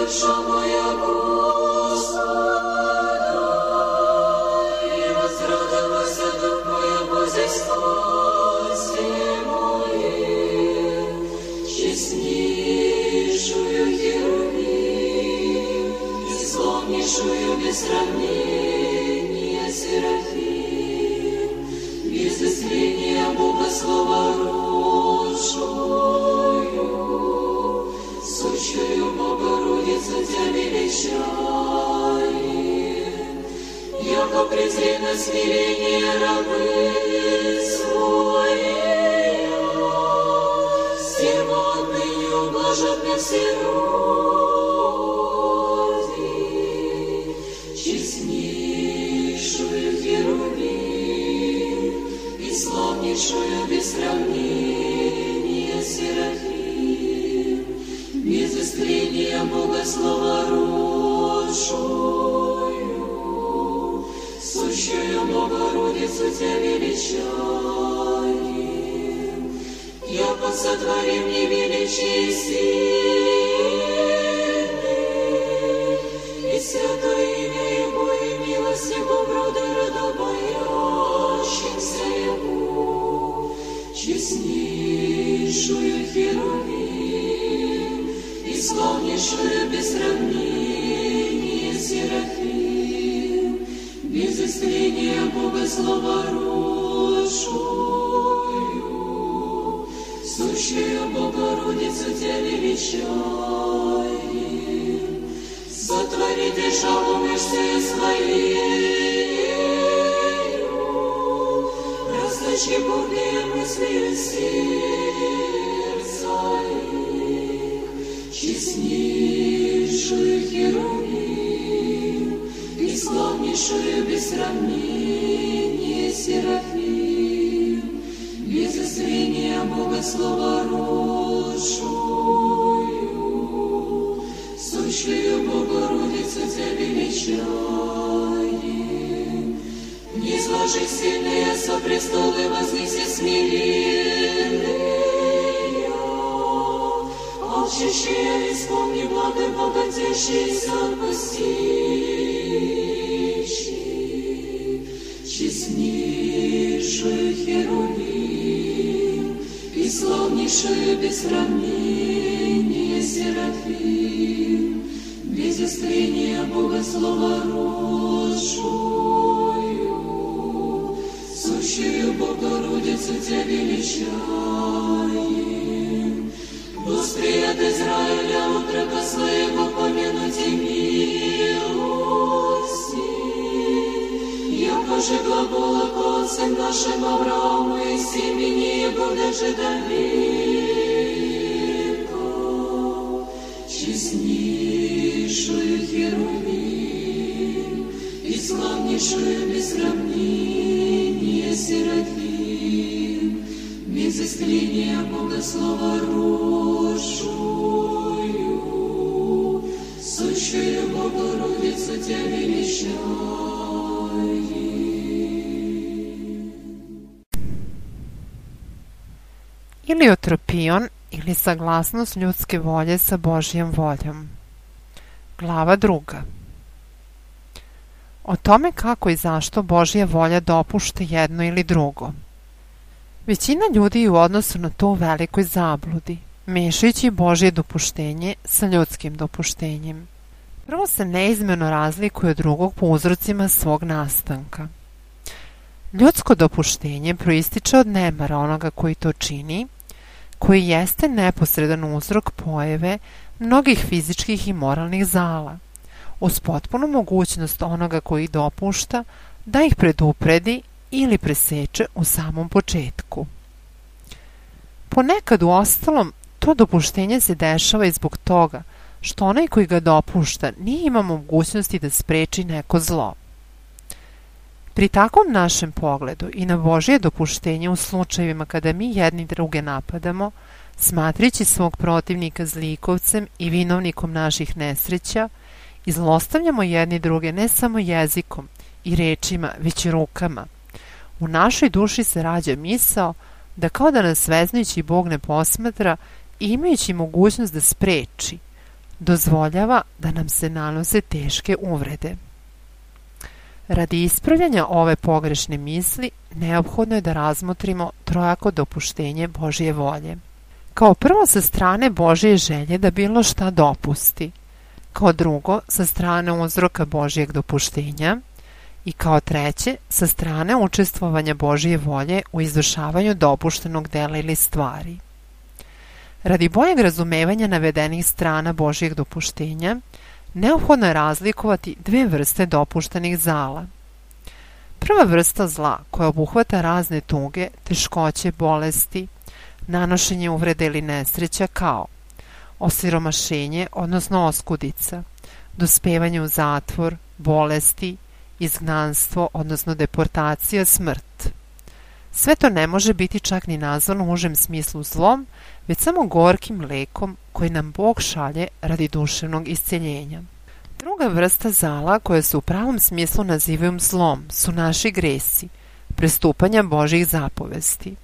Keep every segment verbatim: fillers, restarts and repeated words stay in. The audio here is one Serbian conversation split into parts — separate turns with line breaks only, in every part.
duša moja Gospoda, i возрадова се дух моя божествости моje, честнейшую Херувим, и славнейшую без сравнения Серафим, без изления Бога слова рожую, сущую Богородицу Тя величаем, яко презренно смирение рабы своей, стерва отныне ублажат на все роды, честнейшую Херувим и славнейшую без сравнения Серафим, без искрения Бога слова рожую, сущую Богородицу Тя величаем, яко сотворим невеличие сильны, и святое имя Его и милость Его рода родобоящимся Его, честнейшую Херувим и славнейшую без сравнения Серафим, без искрения Бога слова рожую, сущую Богородицу Тя величаем, сотворите шалу мышцею своею, расточи бурные мысли сердца их, честнейшую Херувим и славнейшую без сравнения Серафим, без искрения Бога слова рожую, сущую Богородицу Тя величаем, низложи сильные со престолы, вознеси смиренные, алчащие исполни благо богатейшиеся отпустивши, честнейшую Херувим и славнейшую без сравнения Серафим, без искрения Бога слова рожую, сущую Богородицу Тя величаем, восприят Израиля утрока своего помянуть и милости, яко же глагола к отцам нашим Аврааму и семени его даже до века, честнейшую Херувим и славнейшую без сравнения Серафим, без искрения Бога слова рожую, сущую Богородицу Тя величаем.
Iliotropion ili saglasnost ljudske volje sa Božjom voljom. Glava druga. O tome kako i zašto Božja volja dopušta jedno ili drugo. Većina ljudi je u odnosu na to u velikoj zabludi, mešajući Božje dopuštenje sa ljudskim dopuštenjem. Prvo se neizmjerno razlikuje od drugog po uzrocima svog nastanka. Ljudsko dopuštenje proističe od nemara onoga koji to čini, koji jeste neposredan uzrok pojave mnogih fizičkih i moralnih zala, uz potpunu mogućnost onoga koji ih dopušta da ih predupredi ili preseče u samom početku. Ponekad u ostalom to dopuštenje se dešava i zbog toga što onaj koji ga dopušta nije imao mogućnosti da spreči neko zlo. Pri takvom našem pogledu i na Božje dopuštenje u slučajevima kada mi jedni druge napadamo, smatrajući svog protivnika zlikovcem i vinovnikom naših nesreća, i zlostavljamo jedni druge ne samo jezikom i rečima, već i rukama. U našoj duši se rađa misao da kao da nas sveznajući Bog ne posmatra i imajući mogućnost da spreči, Dozvoljava da nam se nanose teške uvrede. Radi ispravljanja ove pogrešne misli, neophodno je da razmotrimo trojako dopuštenje Božje volje. Kao prvo, sa strane Božje želje da bilo šta dopusti. Kao drugo, sa strane uzroka Božjeg dopuštenja. I kao treće, sa strane učestvovanja Božje volje u izvršavanju dopuštenog dela ili stvari. Radi boljeg razumevanja navedenih strana Božjeg dopuštenja, neophodno je razlikovati dve vrste dopuštenih zala. Prva vrsta zla, koja obuhvata razne tuge, teškoće, bolesti, nanošenje uvrede ili nesreća kao osiromašenje, odnosno oskudica, dospevanje u zatvor, bolesti, izgnanstvo, odnosno deportacija, smrt. Sve to ne može biti čak ni nazvano u užem smislu zlom, već samo gorkim lekom koji nam Bog šalje radi duševnog isceljenja. Druga vrsta zala, koja se u pravom smislu nazivaju zlom, su naši gresi, prestupanja Božjih zapovesti.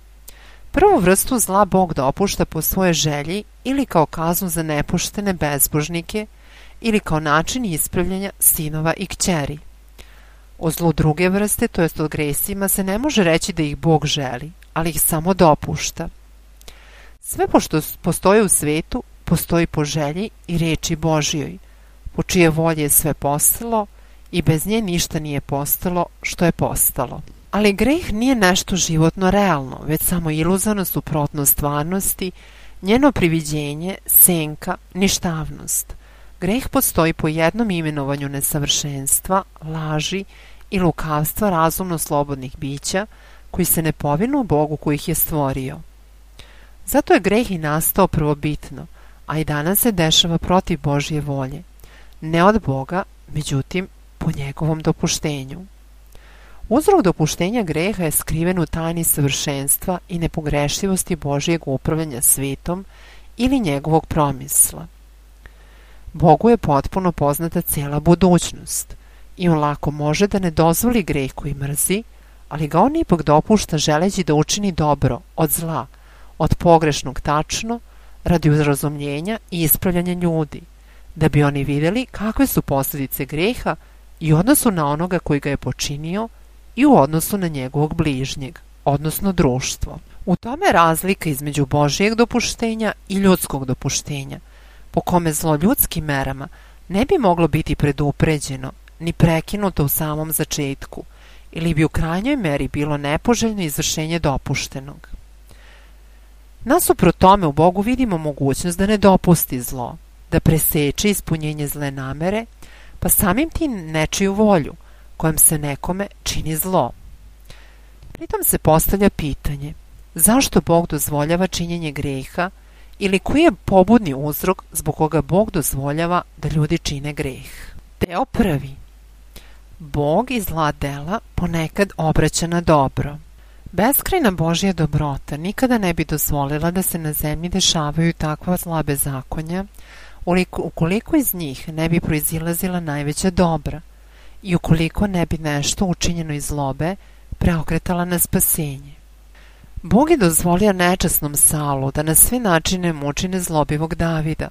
Prvu vrstu zla Bog dopušta po svojoj želji ili kao kaznu za nepoštene bezbožnike ili kao način ispravljanja sinova i kćeri. O zlu druge vrste, to jest o gresima, se ne može reći da ih Bog želi, ali ih samo dopušta. Sve pošto postoji u svetu, postoji po želji i reči Božjoj, po čije volje je sve postalo i bez nje ništa nije postalo što je postalo. Ali greh nije nešto životno realno, već samo iluzorno suprotno stvarnosti, njeno priviđenje, senka, ništavnost. Greh postoji po jednom imenovanju nesavršenstva, laži i lukavstva razumno slobodnih bića koji se ne povinu Bogu koji ih je stvorio. Zato je greh i nastao prvobitno, a i danas se dešava protiv Božje volje. Ne od Boga, međutim, po njegovom dopuštenju. Uzrok dopuštenja greha je skriven u tajni savršenstva i nepogrešivosti Božjeg upravljanja svetom ili njegovog promisla. Bogu je potpuno poznata cijela budućnost i on lako može da ne dozvoli greh koji mrzi, ali ga on ipak dopušta želeći da učini dobro od zla, od pogrešnog tačno, radi uzrazumljenja i ispravljanja ljudi, da bi oni vidjeli kakve su posljedice greha i u odnosu na onoga koji ga je počinio i u odnosu na njegovog bližnjeg, odnosno društvo. U tome je razlika između Božjeg dopuštenja i ljudskog dopuštenja, po kome zlo ljudskim merama ne bi moglo biti predupređeno ni prekinuto u samom začetku, ili bi u krajnjoj meri bilo nepoželjno izvršenje dopuštenog. Nasuprot tome u Bogu vidimo mogućnost da ne dopusti zlo, da preseče ispunjenje zle namere, pa samim tim nečiju volju, kojom se nekome čini zlo. Pritom se postavlja pitanje, zašto Bog dozvoljava činjenje greha ili koji je pobudni uzrok zbog koga Bog dozvoljava da ljudi čine greh. Deo prvi. Bog iz zla dela ponekad obraća na dobro. Beskrajna Božja dobrota nikada ne bi dozvolila da se na zemlji dešavaju takva zla bezakonja, ukoliko iz njih ne bi proizilazila najveća dobra i ukoliko ne bi nešto učinjeno iz zlobe preokretala na spasenje. Bog je dozvolio nečasnom Saulu da na sve načine muči nezlobivog Davida,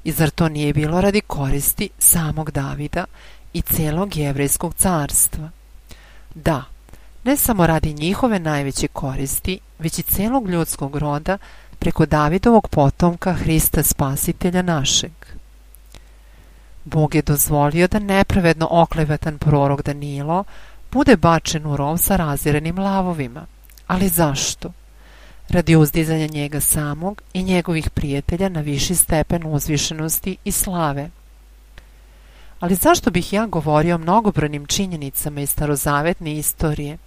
i zar to nije bilo radi koristi samog Davida i celog jevrejskog carstva? Da, ne samo radi njihove najveće koristi, već i celog ljudskog roda preko Davidovog potomka Hrista Spasitelja našeg. Bog je dozvolio da nepravedno oklevatan prorok Danilo bude bačen u rov sa razirenim lavovima. Ali zašto? Radi uzdizanja njega samog i njegovih prijatelja na viši stepen uzvišenosti i slave. Ali zašto bih ja govorio o mnogobrojnim činjenicama iz starozavetne istorije,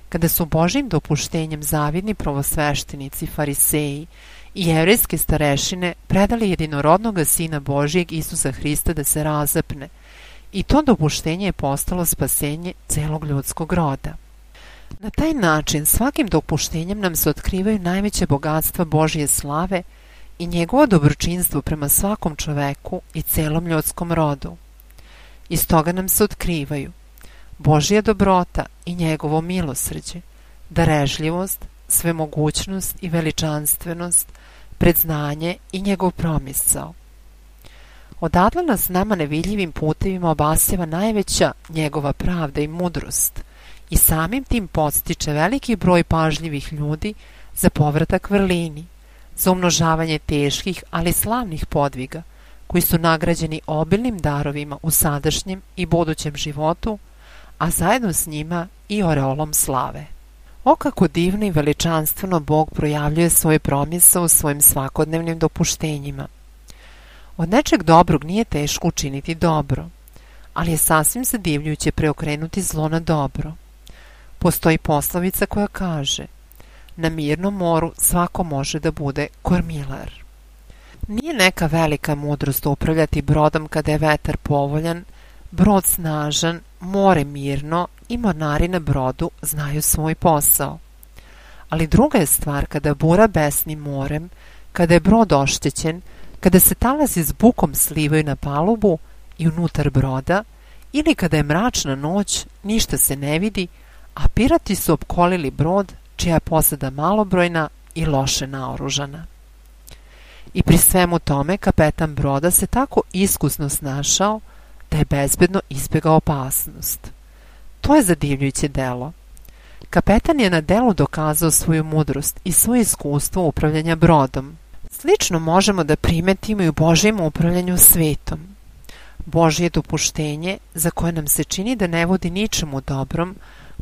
kada su Božjim dopuštenjem zavidni prvosveštenici, fariseji i jevrejske starešine predali jedinorodnoga Sina Božjeg Isusa Hrista da se razapne, i to dopuštenje je postalo spasenje celog ljudskog roda. Na taj način svakim dopuštenjem nam se otkrivaju najveće bogatstva Božje slave i njegovo dobročinstvo prema svakom čoveku i celom ljudskom rodu. Iz toga nam se otkrivaju Božja dobrota i njegovo milosrđe, darežljivost, svemogućnost i veličanstvenost, predznanje i njegov promisao. Odatle nas nama nevidljivim putevima obasjava najveća njegova pravda i mudrost i samim tim podstiče veliki broj pažljivih ljudi za povratak vrlini, za umnožavanje teških, ali slavnih podviga, koji su nagrađeni obilnim darovima u sadašnjem i budućem životu, a zajedno s njima i oreolom slave. O kako divno i veličanstveno Bog projavljuje svoje promise u svojim svakodnevnim dopuštenjima. Od nečeg dobrog nije teško učiniti dobro, ali je sasvim zadivljujuće preokrenuti zlo na dobro. Postoji poslovica koja kaže: na mirnom moru svako može da bude kormilar. Nije neka velika mudrost upravljati brodom kada je vetar povoljan, brod snažan, more mirno i mornari na brodu znaju svoj posao. Ali druga je stvar kada bura besni morem, kada je brod oštećen, kada se talasi s bukom slivaju na palubu i unutar broda, ili kada je mračna noć, ništa se ne vidi, a pirati su opkolili brod čija je posada malobrojna i loše naoružana. I pri svemu tome kapetan broda se tako iskusno snašao da je bezbedno izbjegao opasnost. To je zadivljujuće delo. Kapetan je na delu dokazao svoju mudrost i svoje iskustvo upravljanja brodom. Slično možemo da primetimo i u Božjem upravljanju svetom. Božje dopuštenje, za koje nam se čini da ne vodi ničemu dobrom,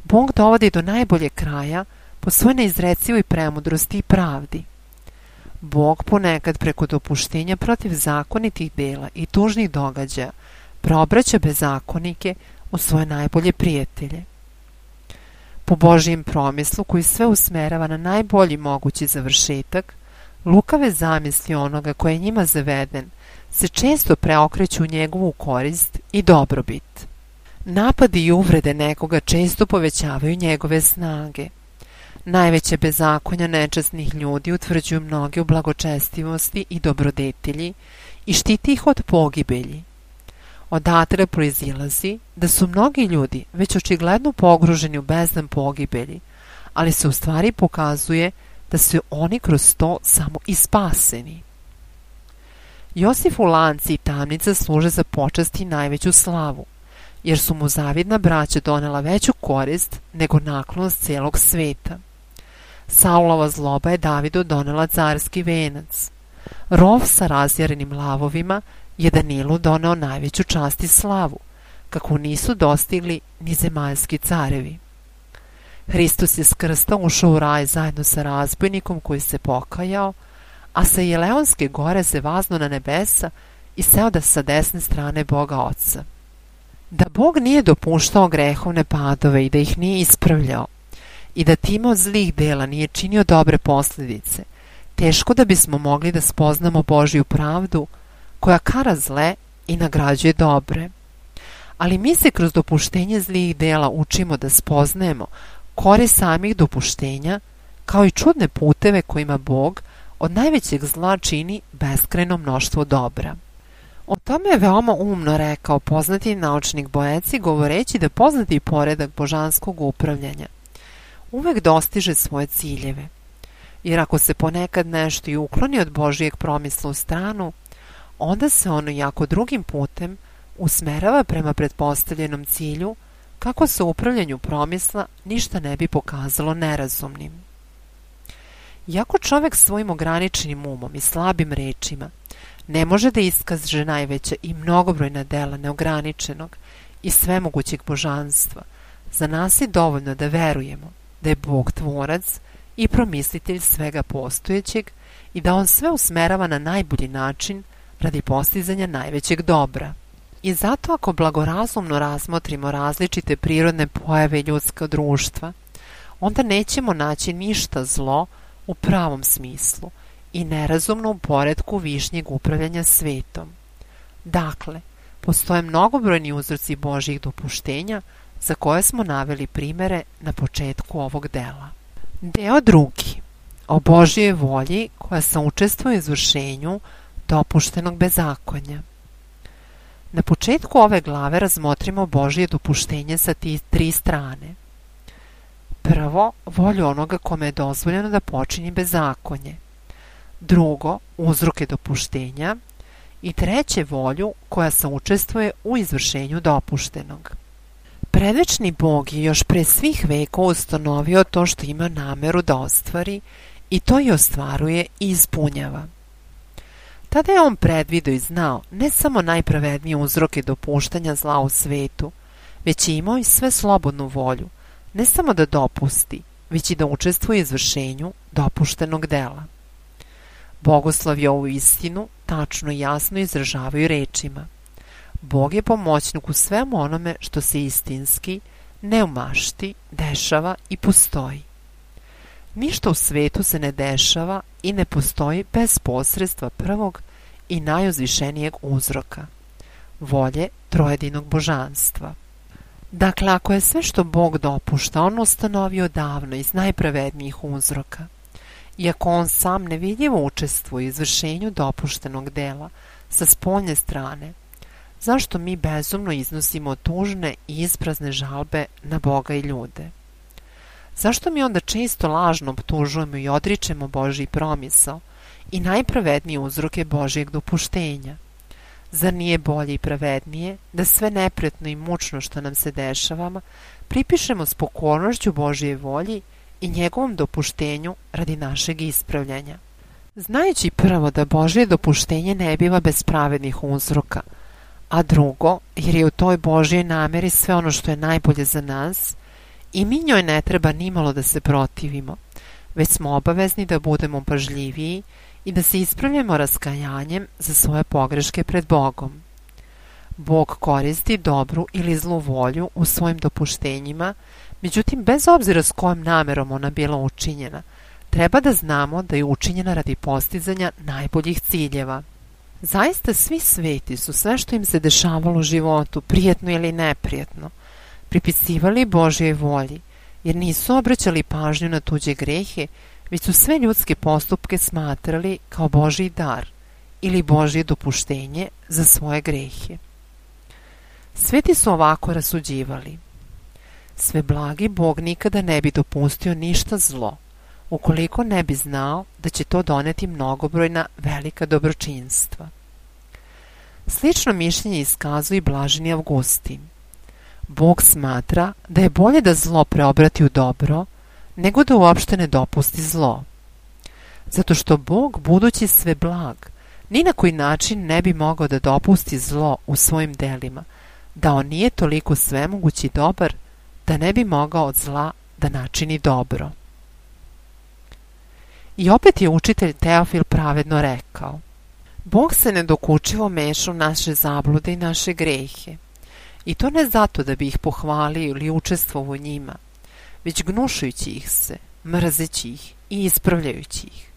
Bog dovodi do najbolje kraja po svojoj neizrecivoj premudrosti i pravdi. Bog ponekad preko dopuštenja protiv zakonitih dela i tužnih događaja preobraća bezakonike u svoje najbolje prijatelje. Po Božjem promislu koji sve usmerava na najbolji mogući završetak, lukave zamisli onoga koji je njima zaveden se često preokreću u njegovu korist i dobrobit. Napadi i uvrede nekoga često povećavaju njegove snage. Najveće bezakonja nečasnih ljudi utvrđuju mnoge u blagočestivosti i dobrodetilji i štiti ih od pogibelji. Odatle proizilazi da su mnogi ljudi već očigledno pogruženi u bezdan pogibelji, ali se u stvari pokazuje da su oni kroz to samo i spaseni. Josifu lanci i tamnica služe za počast i najveću slavu, jer su mu zavidna braća donela veću korist nego naklonost cijelog sveta. Saulova zloba je Davidu donela carski venac. Rov sa razjarenim lavovima je Danilu doneo najveću čast i slavu, kako nisu dostigli ni zemaljski carevi. Hristos je s krsta ušao u raj zajedno sa razbojnikom koji se pokajao, a sa Jeleonske gore se vazno na nebesa i seo da sa desne strane Boga Oca. Da Bog nije dopuštao grehovne padove i da ih nije ispravljao i da time od zlih dela nije činio dobre posljedice, teško da bismo mogli da spoznamo Božju pravdu koja kara zle i nagrađuje dobre. Ali mi se kroz dopuštenje zlih dela učimo da spoznajemo korist samih dopuštenja, kao i čudne puteve kojima Bog od najvećeg zla čini beskrajno mnoštvo dobra. O tome je veoma umno rekao poznati naučnik Boeci, govoreći da poznati poredak božanskog upravljanja uvek dostiže svoje ciljeve, jer ako se ponekad nešto i ukloni od Božijeg promisla u stranu, onda se ono jako drugim putem usmerava prema pretpostavljenom cilju, kako se u upravljanju promisla ništa ne bi pokazalo nerazumnim. Iako čovek svojim ograničenim umom i slabim rečima ne može da iskaže najveća i mnogobrojna dela neograničenog i svemogućeg božanstva, za nas je dovoljno da verujemo da je Bog tvorac i promislitelj svega postojećeg i da on sve usmerava na najbolji način radi postizanja najvećeg dobra. I zato ako blagorazumno razmotrimo različite prirodne pojave ljudskog društva, onda nećemo naći ništa zlo u pravom smislu i nerazumno u poretku višnjeg upravljanja svetom. Dakle, postoje mnogobrojni uzroci Božjih dopuštenja za koje smo naveli primere na početku ovog dela. Deo drugi. O Božjoj volji koja saučestvuje u izvršenju dopuštenog bezakonja. Na početku ove glave razmotrimo Božje dopuštenje sa ti tri strane. Prvo, volju onoga kome je dozvoljeno da počini bezakonje. Drugo, uzroke dopuštenja. i treće volju koja saučestvuje u izvršenju dopuštenog. Predvečni Bog je još pre svih vekova ustanovio to što ima nameru da ostvari i to i ostvaruje i ispunjava. Tada je on predvideo i znao ne samo najpravednije uzroke dopuštanja zla u svetu, već je imao i sve slobodnu volju, ne samo da dopusti, već i da učestvuje u izvršenju dopuštenog dela. Bogoslovi ovu istinu tačno i jasno izražavaju rečima: Bog je pomoćnik u svemu onome što se istinski, ne u mašti, dešava i postoji. Ništa u svetu se ne dešava i ne postoji bez posredstva prvog i najuzvišenijeg uzroka, volje trojedinog božanstva. Dakle, ako je sve što Bog dopušta on ustanovio davno iz najpravednijih uzroka, iako on sam nevidljivo učestvuje u izvršenju dopuštenog dela sa spoljne strane, zašto mi bezumno iznosimo tužne i isprazne žalbe na Boga i ljude? Zašto mi onda često lažno optužujemo i odričemo Božji promisao i najpravednije uzroke Božjeg dopuštenja? Zar nije bolje i pravednije da sve neprijatno i mučno što nam se dešava pripišemo s pokornošću Božje volji i njegovom dopuštenju radi našeg ispravljanja? Znajući prvo da Božje dopuštenje ne biva bez pravednih uzroka, a drugo, jer je u toj Božjoj nameri sve ono što je najbolje za nas, i mi njoj ne treba nimalo da se protivimo, već smo obavezni da budemo pažljiviji i da se ispravljamo raskajanjem za svoje pogreške pred Bogom. Bog koristi dobru ili zlu volju u svojim dopuštenjima, međutim, bez obzira s kojom namerom ona bila učinjena, treba da znamo da je učinjena radi postizanja najboljih ciljeva. Zaista svi sveti su sve što im se dešavalo u životu, prijetno ili neprijetno, pripisivali Božjoj volji, jer nisu obraćali pažnju na tuđe grehe, već su sve ljudske postupke smatrali kao Božji dar ili Božje dopuštenje za svoje grehe. Sveti su ovako rasuđivali: sve blagi Bog nikada ne bi dopustio ništa zlo, ukoliko ne bi znao da će to doneti mnogobrojna velika dobročinstva. Slično mišljenje iskazuje i blaženi Avgustin. Bog smatra da je bolje da zlo preobrati u dobro, nego da uopšte ne dopusti zlo. Zato što Bog, budući sve blag, ni na koji način ne bi mogao da dopusti zlo u svojim delima, da on nije toliko svemogući dobar, da ne bi mogao od zla da načini dobro. I opet je učitelj Teofil pravedno rekao: Bog se nedokučivo meša u naše zablude i naše grehe, i to ne zato da bi ih pohvalio ili učestvovao u njima, već gnušajući ih se, mrzeći ih i ispravljajući ih.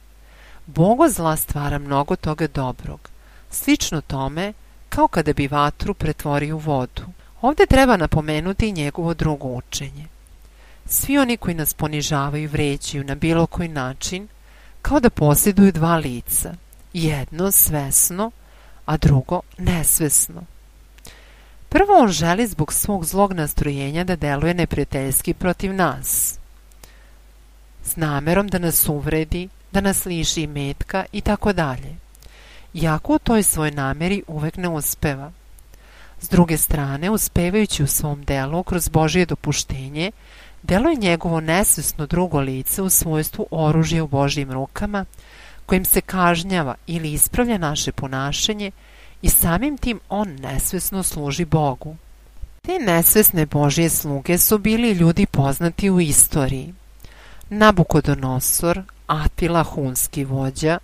Bog od zla stvara mnogo toga dobrog, slično tome kao kada bi vatru pretvorio u vodu. Ovdje treba napomenuti i njegovo drugo učenje. Svi oni koji nas ponižavaju i vređaju na bilo koji način, kao da posjeduju dva lica, jedno svesno, a drugo nesvesno. Prvo, on želi zbog svog zlog nastrojenja da deluje neprijateljski protiv nas, s namerom da nas uvredi, da nas liši imetka i tako dalje, iako u toj svoj nameri uvek ne uspeva. S druge strane, uspevajući u svom delu kroz Božje dopuštenje, deluje njegovo nesvesno drugo lice u svojstvu oružja u Božjim rukama, kojim se kažnjava ili ispravlja naše ponašanje, i samim tim on nesvesno služi Bogu. Te nesvesne Božje sluge su bili ljudi poznati u istoriji: Nabukodonosor, Atila hunski vođa,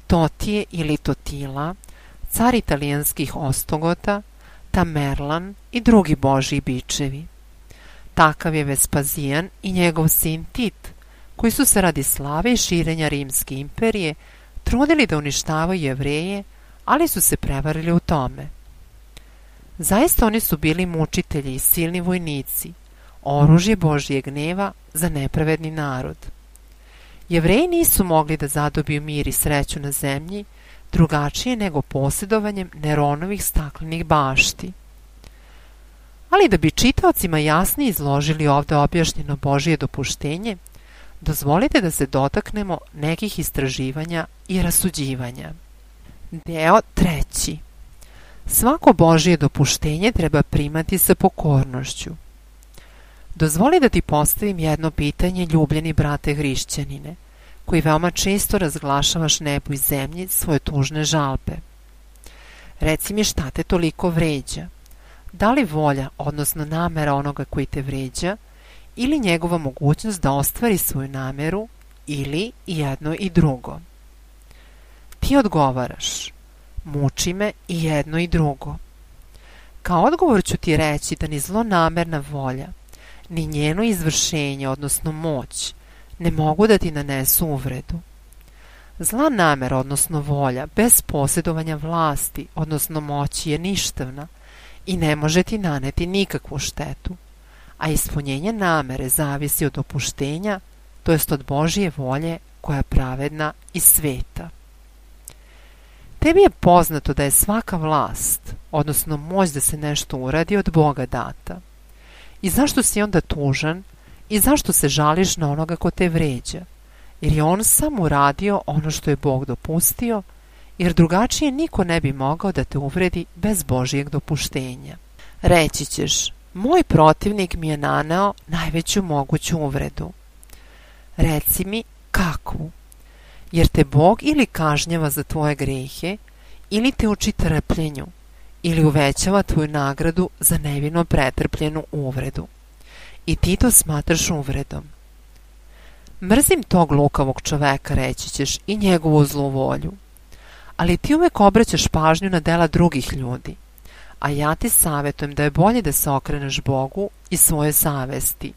Totije ili Totila, car italijanskih Ostogota, Tamerlan i drugi Božji bičevi. Takav je Vespazijan i njegov sin Tit, koji su se radi slave i širenja Rimske imperije trudili da uništavaju Jevreje, ali su se prevarili u tome. Zaista oni su bili mučitelji i silni vojnici, oružje Božjeg gneva za nepravedni narod. Jevreji nisu mogli da zadobiju mir i sreću na zemlji drugačije nego posjedovanjem Neronovih staklenih bašti. Ali da bi čitaocima jasnije izložili ovdje objašnjeno Božje dopuštenje, dozvolite da se dotaknemo nekih istraživanja i rasuđivanja. Deo treći. Svako Božje dopuštenje treba primati sa pokornošću. Dozvoli da ti postavim jedno pitanje, ljubljeni brate hrišćanine, koji veoma često razglašavaš nebu i zemlji svoje tužne žalbe. Reci mi, šta te toliko vređa? Da li volja, odnosno namera onoga koji te vređa, ili njegova mogućnost da ostvari svoju nameru, ili jedno i drugo? Ti odgovaraš: muči me i jedno i drugo. Kao odgovor ću ti reći da ni zlonamerna volja, ni njeno izvršenje, odnosno moć, ne mogu da ti nanesu uvredu. Zla namera, odnosno volja, bez posjedovanja vlasti, odnosno moći, je ništavna i ne može ti naneti nikakvu štetu, a ispunjenje namere zavisi od dopuštenja, to jest od Božje volje koja je pravedna i sveta. Tebi je poznato da je svaka vlast, odnosno moć da se nešto uradi, od Boga data. I zašto si onda tužan i zašto se žališ na onoga ko te vređa? Jer je on sam uradio ono što je Bog dopustio, jer drugačije niko ne bi mogao da te uvredi bez Božjeg dopuštenja. Reći ćeš: moj protivnik mi je naneo najveću moguću uvredu. Reci mi, kakvu? Jer te Bog ili kažnjava za tvoje grehe, ili te uči trpljenju, ili uvećava tvoju nagradu za nevino pretrpljenu uvredu. I ti to smatraš uvredom. Mrzim tog lukavog čoveka, reći ćeš, i njegovu zlu volju. Ali ti uvek obraćaš pažnju na dela drugih ljudi, a ja ti savjetujem da je bolje da se okreneš Bogu i svoje savesti,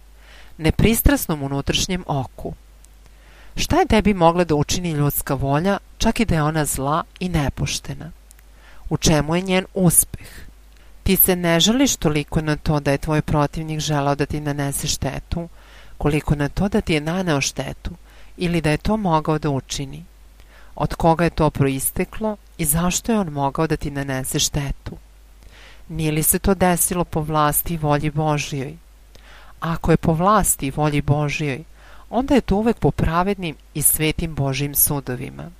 nepristrasnom unutrašnjem oku. Šta je tebi mogla da učini ljudska volja, čak i da je ona zla i nepoštena? U čemu je njen uspeh? Ti se ne žališ toliko na to da je tvoj protivnik želao da ti nanese štetu, koliko na to da ti je naneo štetu ili da je to mogao da učini. Od koga je to proisteklo i zašto je on mogao da ti nanese štetu? Nije li se to desilo po vlasti i volji Božjoj? Ako je po vlasti i volji Božjoj, onda je to uvek po pravednim i svetim Božjim sudovima.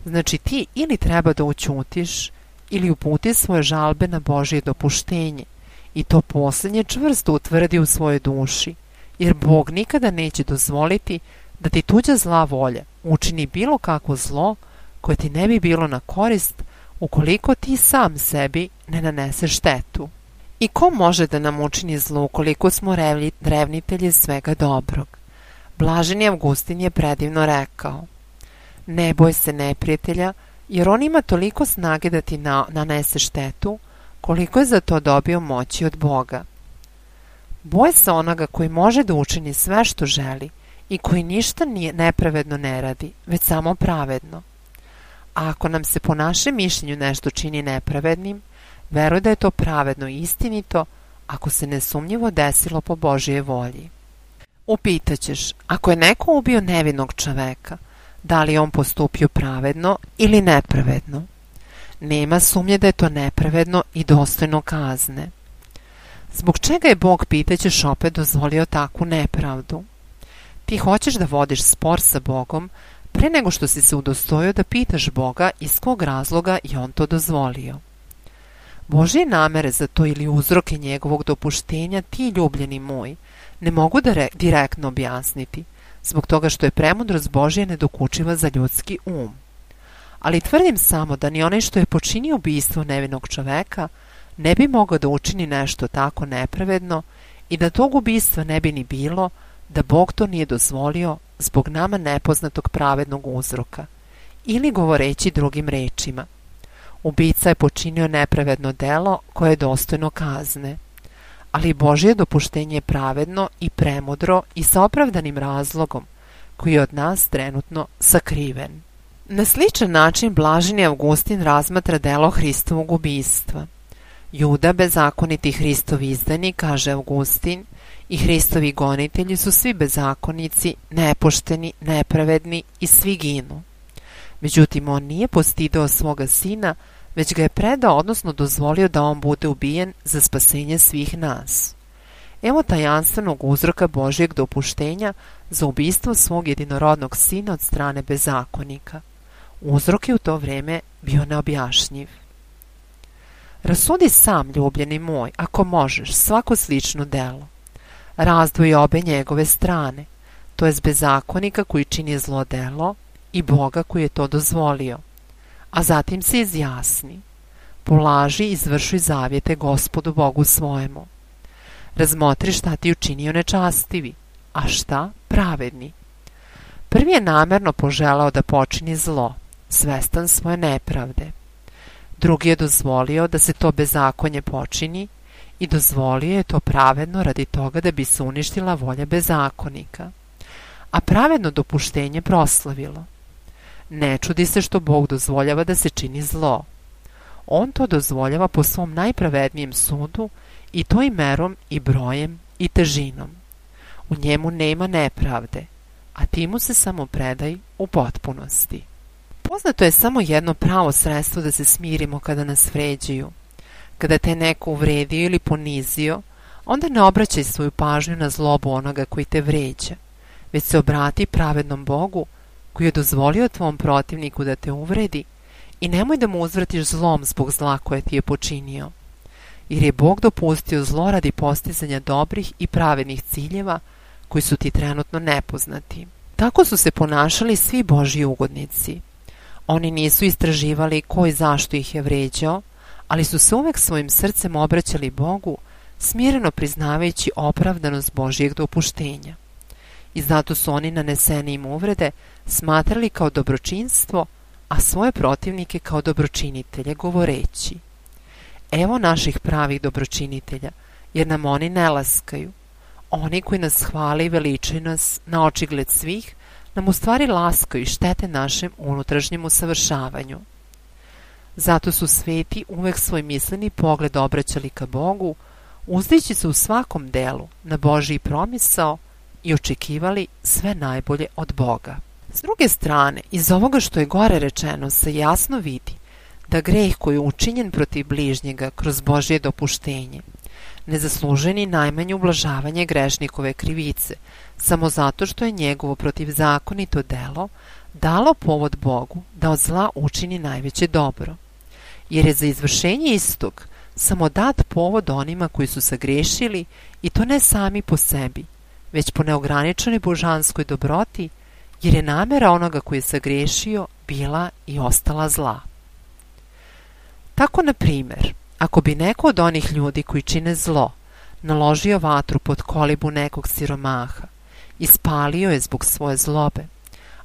Znači ti ili treba da ućutiš ili uputi svoje žalbe na Božje dopuštenje i to posljednje čvrsto utvrdi u svojoj duši, jer Bog nikada neće dozvoliti da ti tuđa zla volja učini bilo kakvo zlo koje ti ne bi bilo na korist ukoliko ti sam sebi ne naneseš štetu. I ko može da nam učini zlo ukoliko smo revnitelji svega dobrog? Blaženi Avgustin je predivno rekao: ne boj se neprijatelja, jer on ima toliko snage da ti na, nanese štetu, koliko je za to dobio moći od Boga. Boj se onoga koji može da učini sve što želi i koji ništa nije nepravedno ne radi, već samo pravedno. A ako nam se po našem mišljenju nešto čini nepravednim, veruj da je to pravedno i istinito, ako se nesumnjivo desilo po Božje volji. Upitaćeš, ako je neko ubio nevinog čoveka, da li on postupio pravedno ili nepravedno? Nema sumnje da je to nepravedno i dostojno kazne. Zbog čega je Bog, pitaćeš opet, dozvolio takvu nepravdu? Ti hoćeš da vodiš spor sa Bogom pre nego što si se udostojio da pitaš Boga iz kog razloga je on to dozvolio. Božje namere za to ili uzroke njegovog dopuštenja ti, ljubljeni moj, ne mogu da re- direktno objasniti, zbog toga što je premudrost Božja nedokučiva za ljudski um. Ali tvrdim samo da ni onaj što je počinio ubistvo nevinog čoveka ne bi mogao da učini nešto tako nepravedno i da tog ubistva ne bi ni bilo da Bog to nije dozvolio zbog nama nepoznatog pravednog uzroka. Ili govoreći drugim rečima, ubica je počinio nepravedno delo koje je dostojno kazne, ali Božje dopuštenje je pravedno i premudro i sa opravdanim razlogom koji je od nas trenutno sakriven. Na sličan način blaženi Avgustin razmatra delo Hristovog ubistva. Juda, bezakoniti Hristov izdanik, kaže Avgustin, i Hristovi gonitelji su svi bezakonici, nepošteni, nepravedni i svi ginu. Međutim, on nije postidao svoga sina, već ga je predao, odnosno dozvolio da on bude ubijen za spasenje svih nas. Evo tajanstvenog uzroka Božjeg dopuštenja za ubistvo svog jedinorodnog sina od strane bezakonika. Uzrok je u to vreme bio neobjašnjiv. Rasudi sam, ljubljeni moj, ako možeš, svako slično delo. Razdvoji obe njegove strane, to jest bezakonika koji čini zlo delo i Boga koji je to dozvolio, a zatim se izjasni. Polaži i izvršuj zavjete Gospodu Bogu svojemu. Razmotri šta ti učinio nečastivi, a šta pravedni. Prvi je namerno poželao da počini zlo, svestan svoje nepravde. Drugi je dozvolio da se to bezakonje počini i dozvolio je to pravedno radi toga da bi se uništila volja bezakonika, a pravedno dopuštenje proslavilo. Ne čudi se što Bog dozvoljava da se čini zlo. On to dozvoljava po svom najpravednijem sudu i to i merom i brojem i težinom. U njemu nema nepravde, a ti mu se samo predaj u potpunosti. Poznato je samo jedno pravo sredstvo da se smirimo kada nas vređaju. Kada te neko uvredio ili ponizio, onda ne obraćaj svoju pažnju na zlobu onoga koji te vređa, već se obrati pravednom Bogu koji je dozvolio tvom protivniku da te uvredi i nemoj da mu uzvratiš zlom zbog zla koje ti je počinio, jer je Bog dopustio zlo radi postizanja dobrih i pravednih ciljeva koji su ti trenutno nepoznati. Tako su se ponašali svi Božji ugodnici. Oni nisu istraživali ko i zašto ih je vređao, ali su se uvek svojim srcem obraćali Bogu, smireno priznavajući opravdanost Božjeg dopuštenja. I zato su oni nanesene im uvrede smatrali kao dobročinstvo, a svoje protivnike kao dobročinitelje, govoreći: evo naših pravih dobročinitelja, jer nam oni ne laskaju. Oni koji nas hvale i veličaju nas na očigled svih, nam u stvari laskaju i štete našem unutrašnjem usavršavanju. Zato su sveti uvek svoj misleni pogled obraćali ka Bogu, uzdići se u svakom delu na Božji promisao i očekivali sve najbolje od Boga. S druge strane, iz ovoga što je gore rečeno se jasno vidi da greh koji je učinjen protiv bližnjega kroz Božje dopuštenje ne zaslužuje ni najmanje ublažavanje grešnikove krivice, samo zato što je njegovo protivzakonito delo dalo povod Bogu da od zla učini najveće dobro, jer je za izvršenje istog samo dat povod onima koji su sagrešili, i to ne sami po sebi, već po neograničenoj božanskoj dobroti, jer je namera onoga koji je sagrešio bila i ostala zla. Tako, na primjer, ako bi neko od onih ljudi koji čine zlo naložio vatru pod kolibu nekog siromaha i spalio je zbog svoje zlobe,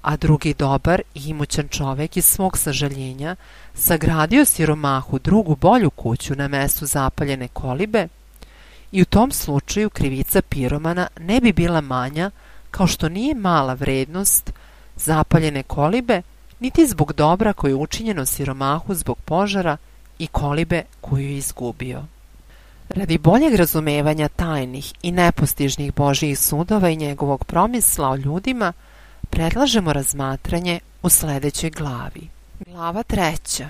a drugi dobar i imućan čovek iz svog sažaljenja sagradio siromahu drugu bolju kuću na mestu zapaljene kolibe, i u tom slučaju krivica piromana ne bi bila manja, kao što nije mala vrednost zapaljene kolibe, niti zbog dobra koje je učinjeno siromahu zbog požara i kolibe koju je izgubio. Radi boljeg razumevanja tajnih i nepostižnih Božjih sudova i njegovog promisla o ljudima, predlažemo razmatranje u sljedećoj glavi. Glava treća.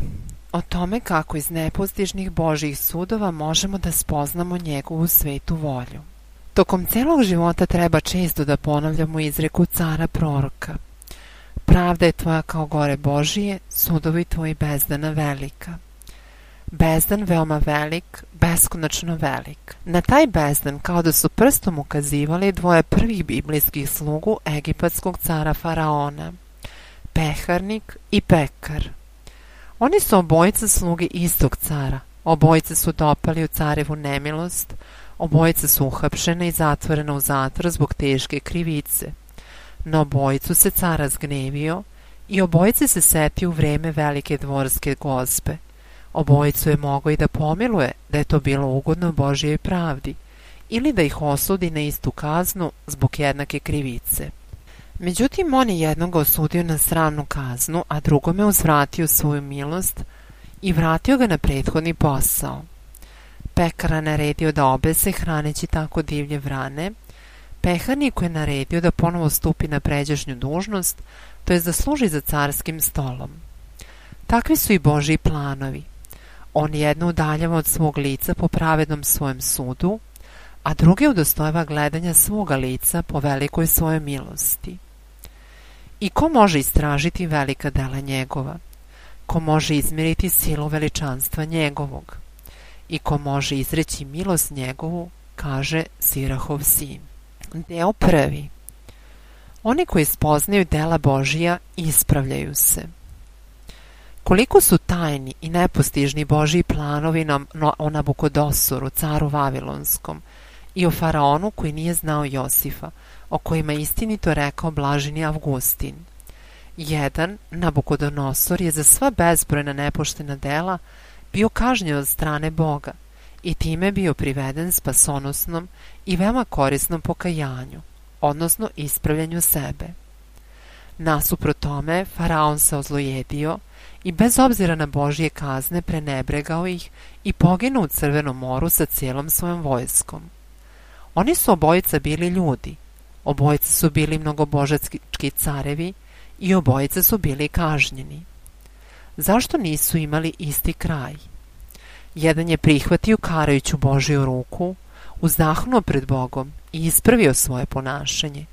O tome kako iz nepostižnih Božjih sudova možemo da spoznamo njegovu svetu volju. Tokom celog života treba često da ponavljamo izreku cara proroka: pravda je tvoja kao gore Božije, sudovi tvoji bezdana velika. Bezdan veoma velik, beskonačno velik. Na taj bezdan kao da su prstom ukazivali dvoje prvih biblijskih slugu egipatskog cara Faraona, Peharnik i Pekar. Oni su obojica sluge istog cara, obojica su dopali u carevu nemilost, obojica su uhapšena i zatvorena u zatvor zbog teške krivice. Na obojicu se car razgnevio i obojice se setio u vreme velike dvorske gozbe. Obojicu je mogao i da pomiluje da je to bilo ugodno Božjoj pravdi, ili da ih osudi na istu kaznu zbog jednake krivice. Međutim, on je jednog osudio na sramnu kaznu, a drugome uzvratio svoju milost i vratio ga na prethodni posao. Pekara naredio da obese hraneći tako divlje vrane, Peharniku je naredio da ponovo stupi na pređašnju dužnost, to je da služi za carskim stolom. Takvi su i Božji planovi. On jedno udaljava od svog lica po pravednom svojem sudu, a druge udostojava gledanja svoga lica po velikoj svojoj milosti. I ko može istražiti velika dela njegova? Ko može izmjeriti silu veličanstva njegovog? i ko može izreći milost njegovu, kaže Sirahov sin. Deo prvi. Oni koji spoznaju dela Božija ispravljaju se. Koliko su tajni i nepostižni Božji planovi o Nabukodosoru, caru Vavilonskom, i o faraonu koji nije znao Josifa, o kojima istinito rekao blaženi Avgustin. Jedan, Nabukodonosor, je za sva bezbrojna nepoštena dela bio kažnjen od strane Boga i time bio priveden spasonosnom i veoma korisnom pokajanju, odnosno ispravljanju sebe. Nasuprot tome, faraon se ozlojedio i bez obzira na Božje kazne prenebregao ih i poginuo u Crvenom moru sa cijelom svojom vojskom. Oni su obojica bili ljudi, obojica su bili mnogobožački carevi i obojica su bili kažnjeni. Zašto nisu imali isti kraj? Jedan je prihvatio karajuću Božju ruku, uzdahnuo pred Bogom i ispravio svoje ponašanje,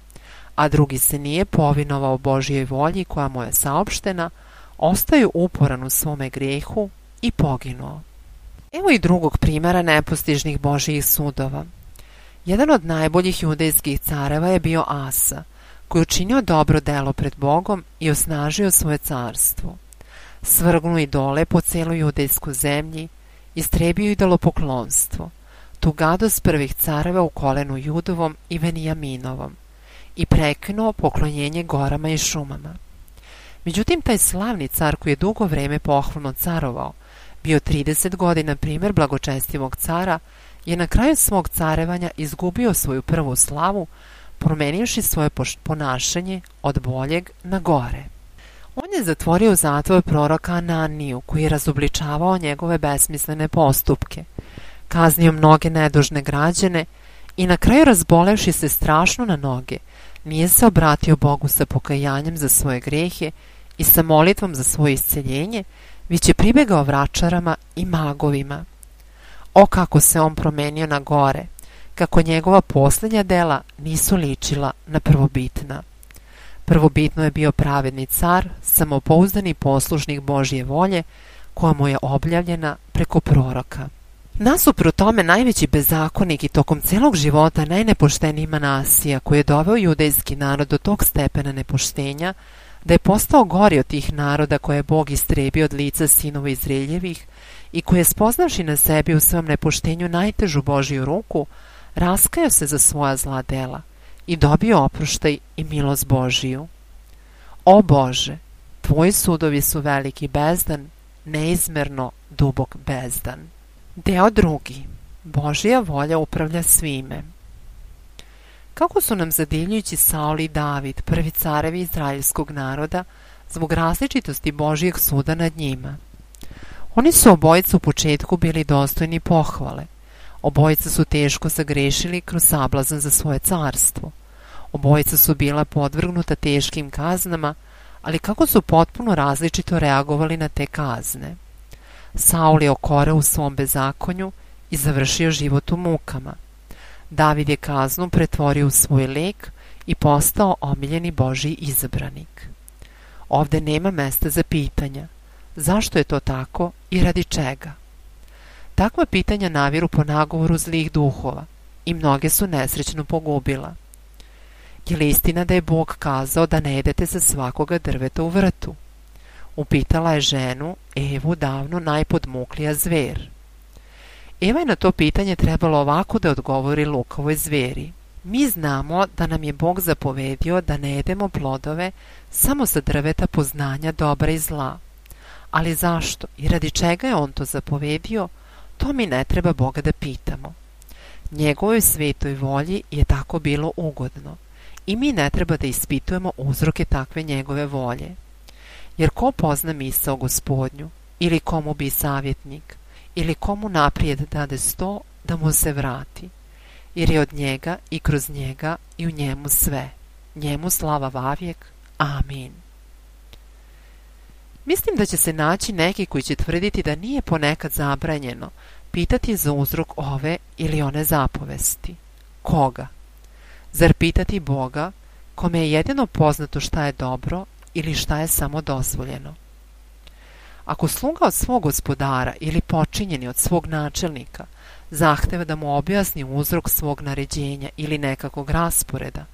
a drugi se nije povinovao Božjoj volji koja mu je saopštena, ostaju uporan u svome grijehu i poginuo. Evo i drugog primjera nepostižnih Božjih sudova. Jedan od najboljih judejskih careva je bio Asa, koji je učinio dobro delo pred Bogom i osnažio svoje carstvo. Svrgnuo idole po cijeloj judejskoj zemlji, istrebio idolopoklonstvo, tu gadost prvih careva u kolenu Judovom i Venijaminovom i prekinuo poklonjenje gorama i šumama. Međutim, taj slavni car koji je dugo vreme pohvalno carovao, bio trideset godina primjer blagočestivog cara, je na kraju svog carevanja izgubio svoju prvu slavu, promenivši svoje ponašanje od boljeg na gore. On je zatvorio u zatvor proroka Ananiju, koji je razobličavao njegove besmislene postupke, kaznio mnoge nedužne građane i na kraju, razbolevši se strašno na noge, nije se obratio Bogu sa pokajanjem za svoje grehe i sa molitvom za svoje isceljenje, već je pribegao vračarama i magovima. O, kako se on promenio na gore, kako njegova posljednja dela nisu ličila na prvobitna. Prvobitno je bio pravedni car, samopouzdani poslušnik Božje volje, koja mu je objavljena preko proroka. Nasuprot tome, najveći bezakonik i tokom celog života najnepošteniji Manasija, koji je doveo judejski narod do tog stepena nepoštenja, da je postao gori od tih naroda koje je Bog istrebio od lica sinova Izraeljevih i koji je, spoznavši na sebi u svom nepoštenju najtežu Božju ruku, raskajao se za svoja zla dela i dobio oproštaj i milost Božiju. O Bože, tvoji sudovi su veliki bezdan, neizmerno dubok bezdan. Deo drugi. Božja volja upravlja svime. Kako su nam zadivljujući Saul i David, prvi carevi izraelskog naroda, zbog različitosti Božjeg suda nad njima. Oni su obojica u početku bili dostojni pohvale. Obojica su teško zagrešili kroz sablazan za svoje carstvo. Obojica su bila podvrgnuta teškim kaznama, ali kako su potpuno različito reagovali na te kazne. Saul je okoreo u svom bezakonju i završio život u mukama. David je kaznu pretvorio u svoj lek i postao omiljeni Božji izabranik. Ovde nema mesta za pitanja. Zašto je to tako i radi čega? Takva pitanja naviru po nagovoru zlih duhova i mnoge su nesrećno pogubila. Je li istina da je Bog kazao da ne jedete sa svakoga drveta u vrtu? Upitala je ženu, Evu, davno najpodmuklija zver. Eva je na to pitanje trebalo ovako da odgovori lukavoj zveri. Mi znamo da nam je Bog zapovedio da ne jedemo plodove samo sa drveta poznanja dobra i zla. Ali zašto i radi čega je on to zapovedio, to mi ne treba Boga da pitamo. Njegovoj svetoj volji je tako bilo ugodno i mi ne treba da ispitujemo uzroke takve njegove volje. Jer ko pozna misao Gospodnju, ili komu bi savjetnik, ili komu naprijed dade sto da mu se vrati, jer je od njega i kroz njega i u njemu sve. Njemu slava vavijek. Amin. Mislim da će se naći neki koji će tvrditi da nije ponekad zabranjeno pitati za uzrok ove ili one zapovesti. Koga? Zar pitati Boga, kome je jedino poznato šta je dobro ili šta je samo dozvoljeno? Ako sluga od svog gospodara ili počinjeni od svog načelnika zahteva da mu objasni uzrok svog naređenja ili nekakvog rasporeda,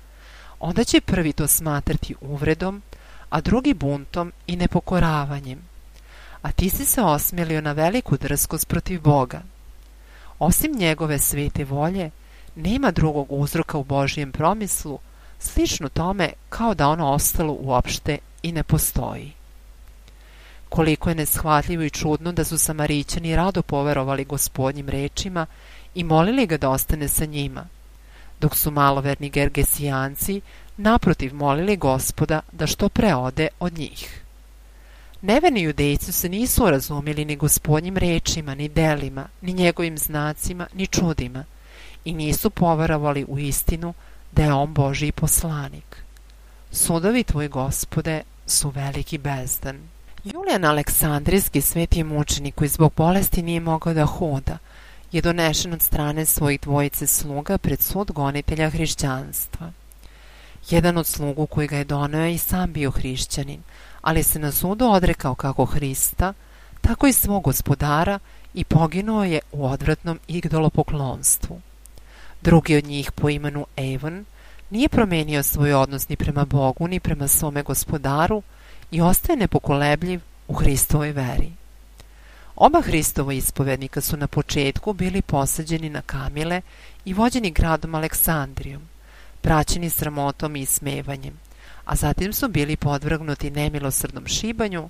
onda će prvi to smatrati uvredom, a drugi buntom i nepokoravanjem. A ti si se osmelio na veliku drskost protiv Boga. Osim njegove svete volje, nema drugog uzroka u Božijem promislu, slično tome kao da ono ostalo uopšte i ne postoji. Koliko je neshvatljivo i čudno da su Samarićani rado poverovali Gospodnjim rečima i molili ga da ostane sa njima, dok su maloverni Gergesijanci naprotiv molili Gospoda da što pre ode od njih. Neverni Judejci se nisu razumjeli ni Gospodnjim rečima, ni delima, ni njegovim znacima, ni čudima i nisu poverovali u istinu da je on Božji poslanik. Sudovi tvoji, Gospode, su veliki bezdan. Julijan Aleksandrijski, sveti mučenik koji zbog bolesti nije mogao da hoda, je donešen od strane svojih dvojice sluga pred sud gonitelja hrišćanstva. Jedan od slugu koji ga je doneo je i sam bio hrišćanin, ali se na sudu odrekao kako Hrista, tako i svog gospodara i poginuo je u odvratnom idolopoklonstvu. Drugi od njih po imenu Evan nije promenio svoj odnos ni prema Bogu ni prema svome gospodaru i ostaje nepokolebljiv u Hristovoj veri. Oba Hristova ispovednika su na početku bili posađeni na kamile i vođeni gradom Aleksandrijom, praćeni sramotom i ismevanjem, a zatim su bili podvrgnuti nemilosrdnom šibanju,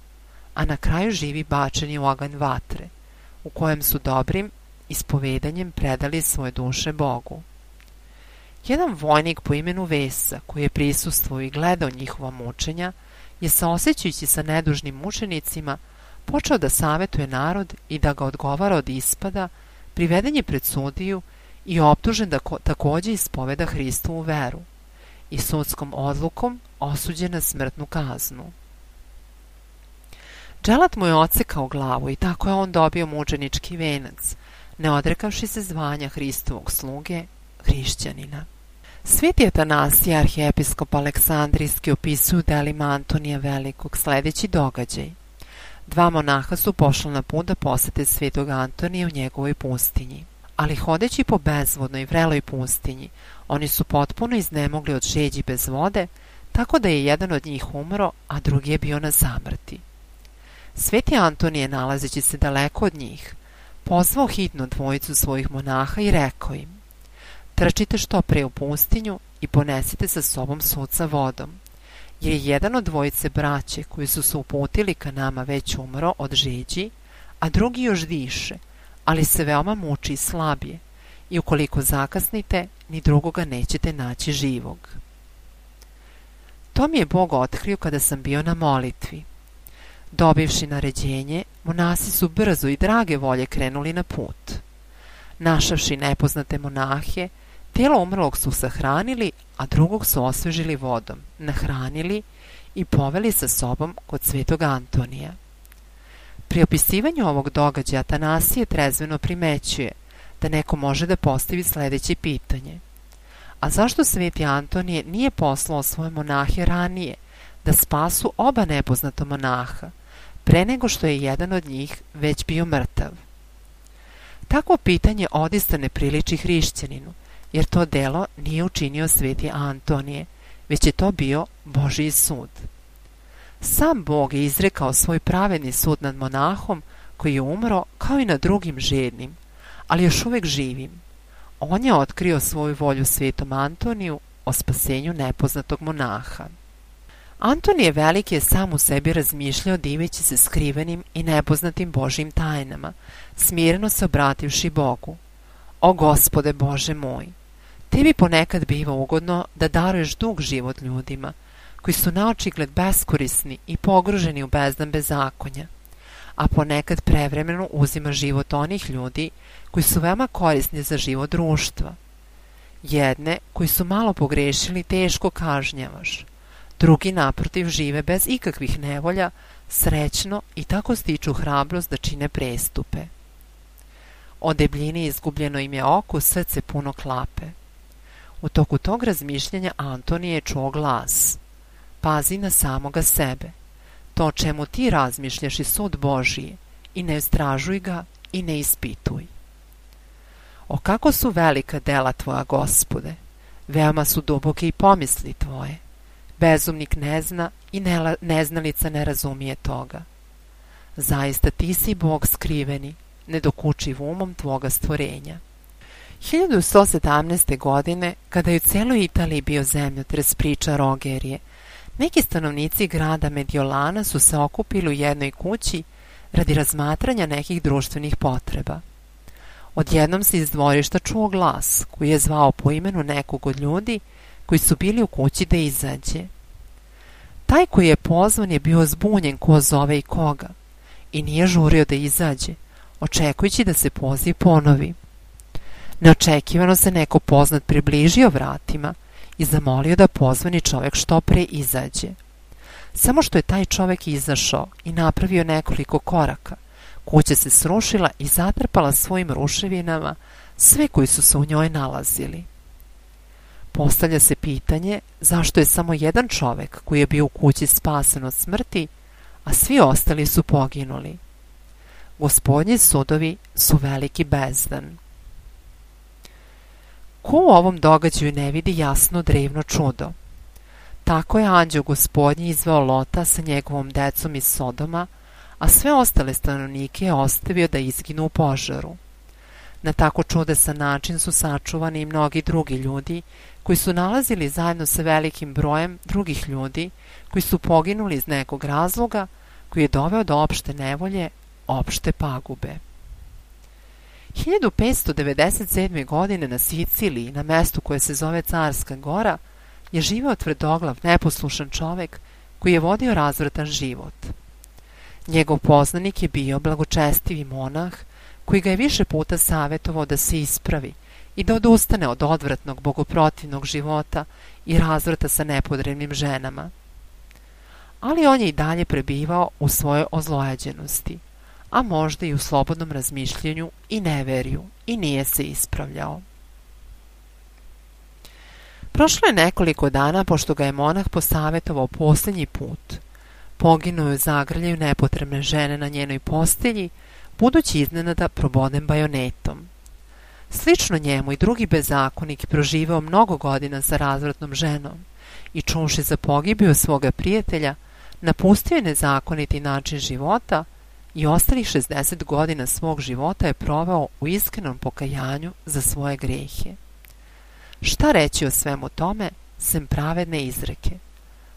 a na kraju živi bačeni u oganj vatre, u kojem su dobrim ispovedanjem predali svoje duše Bogu. Jedan vojnik po imenu Vesa, koji je prisustvovao i gledao njihova mučenja, je saosećajući sa nedužnim mučenicima počeo da savetuje narod i da ga odgovara od ispada, priveden je pred sudiju i optužen da takođe ispoveda Hristovu veru i sudskom odlukom osuđen na smrtnu kaznu. Dželat mu je odsekao glavu i tako je on dobio mučenički venac, ne odrekavši se zvanja Hristovog sluge, hrišćanina. Sveti Atanasije, arhijepiskop Aleksandrijski, opisuju u delima Antonija Velikog sljedeći događaj. Dva monaha su pošla na put da posete svetog Antonija u njegovoj pustinji, ali hodeći po bezvodnoj i vreloj pustinji, oni su potpuno iznemogli od žeđi bez vode, tako da je jedan od njih umro, a drugi je bio na samrti. Sveti Antonije, nalazeći se daleko od njih, pozvao hitno dvojicu svojih monaha i rekao im: trčite što pre u pustinju i ponesite sa sobom sud sa vodom, jer je jedan od dvojice braće koji su se uputili ka nama već umro od žeđi, a drugi još diše, ali se veoma muči i slabije, i ukoliko zakasnite, ni drugoga nećete naći živog. To mi je Bog otkrio kada sam bio na molitvi. Dobivši naređenje, monasi su brzo i drage volje krenuli na put. Našavši nepoznate monahe, tijelo umrlog su sahranili, a drugog su osvežili vodom, nahranili i poveli sa sobom kod svetog Antonija. Pri opisivanju ovog događaja Atanasije trezveno primećuje da neko može da postavi sljedeće pitanje: a zašto sveti Antonije nije poslao svoje monahe ranije da spasu oba nepoznata monaha, pre nego što je jedan od njih već bio mrtav? Takvo pitanje odista ne priliči hrišćaninu, jer to delo nije učinio sveti Antonije, već je to bio Božji sud. Sam Bog je izrekao svoj pravedni sud nad monahom koji je umro kao i nad drugim žednim, ali još uvijek živim. On je otkrio svoju volju svetom Antoniju o spasenju nepoznatog monaha. Antonije Veliki je sam u sebi razmišljao diveći se skrivenim i nepoznatim Božjim tajnama, smireno se obrativši Bogu: o Gospode Bože moj, tebi ponekad biva ugodno da daruješ dug život ljudima, koji su naočigled beskorisni i pogruženi u bezdan bezakonja, a ponekad prevremeno uzima život onih ljudi koji su veoma korisni za život društva. Jedne koji su malo pogrešili teško kažnjavaš, drugi naprotiv žive bez ikakvih nevolja, srećno i tako stiču hrabrost da čine prestupe. O debljini izgubljeno im je oko, srce puno klape. U toku tog razmišljanja Antonije je čuo glas: pazi na samoga sebe, to o čemu ti razmišljaš i sud Božiji, i ne istražuj ga i ne ispituj. O kako su velika dela tvoja, Gospode, veoma su duboke i pomisli tvoje. Bezumnik ne zna i ne, neznalica ne razumije toga. Zaista ti si Bog skriveni, nedokučiv umom tvoga stvorenja. hiljadu sto sedamnaeste. godine, kada je u celoj Italiji bio zemljotres priča Rogerije, neki stanovnici grada Mediolana su se okupili u jednoj kući radi razmatranja nekih društvenih potreba. Odjednom se iz dvorišta čuo glas koji je zvao po imenu nekog od ljudi koji su bili u kući da izađe. Taj koji je pozvan je bio zbunjen ko zove i koga i nije žurio da izađe, očekujući da se poziv ponovi. Neočekivano se neko poznat približio vratima i zamolio da pozvani čovjek što pre izađe. Samo što je taj čovjek izašao i napravio nekoliko koraka, kuća se srušila i zatrpala svojim ruševinama sve koji su se u njoj nalazili. Postavlja se pitanje zašto je samo jedan čovjek koji je bio u kući spasen od smrti, a svi ostali su poginuli. Gospodnji sudovi su veliki bezdan. Ko u ovom događaju ne vidi jasno drevno čudo? Tako je anđeo Gospodnji izveo Lota sa njegovom decom iz Sodoma, a sve ostale stanovnike je ostavio da izginu u požaru. Na tako čudesan način su sačuvani i mnogi drugi ljudi koji su nalazili zajedno sa velikim brojem drugih ljudi koji su poginuli iz nekog razloga koji je doveo do opšte nevolje, opšte pagube. hiljadu petsto devedeset sedme. godine na Siciliji, na mestu koje se zove Carska Gora, je živeo tvrdoglav, neposlušan čovjek koji je vodio razvratan život. Njegov poznanik je bio blagočestivi monah koji ga je više puta savjetovao da se ispravi i da odustane od odvratnog, bogoprotivnog života i razvrata sa nepodrebnim ženama. Ali on je i dalje prebivao u svojoj ozlojeđenosti, a možda i u slobodnom razmišljenju i neverju, i nije se ispravljao. Prošlo je nekoliko dana pošto ga je monah posavjetovao posljednji put. Poginuo je u zagrljaju nepotrebne žene na njenoj postelji, budući iznenada proboden bajonetom. Slično njemu i drugi bezakonik proživeo mnogo godina sa razvratnom ženom i čuvši za pogibiju svoga prijatelja, napustio je nezakoniti način života i ostalih šezdeset godina svog života je proveo u iskrenom pokajanju za svoje grehe. Šta reći o svemu tome, sem pravedne izreke?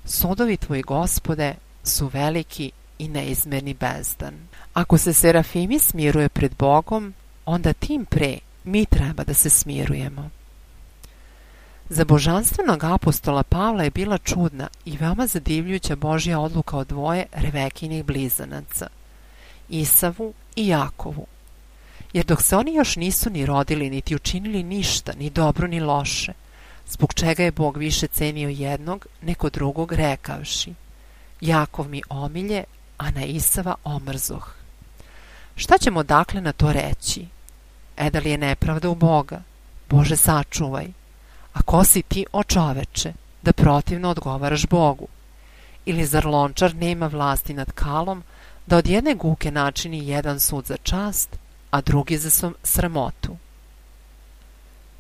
Sudovi tvoji, Gospode, su veliki i neizmerni bezdan. Ako se serafimi smiruje pred Bogom, onda tim pre mi treba da se smirujemo. Za božanstvenog apostola Pavla je bila čudna i veoma zadivljujuća Božja odluka o dvoje Revekinih blizanaca, Isavu i Jakovu. Jer dok se oni još nisu ni rodili, niti učinili ništa, ni dobro ni loše, zbog čega je Bog više cenio jednog nego drugog rekavši: Jakov mi omilje, a na Isava omrzoh. Šta ćemo dakle na to reći? E da li je nepravda u Boga? Bože, sačuvaj. A ko si ti, o čoveče, da protivno odgovaraš Bogu? Ili zar lončar nema vlasti nad kalom, da od jedne guke načini jedan sud za čast, a drugi za sramotu?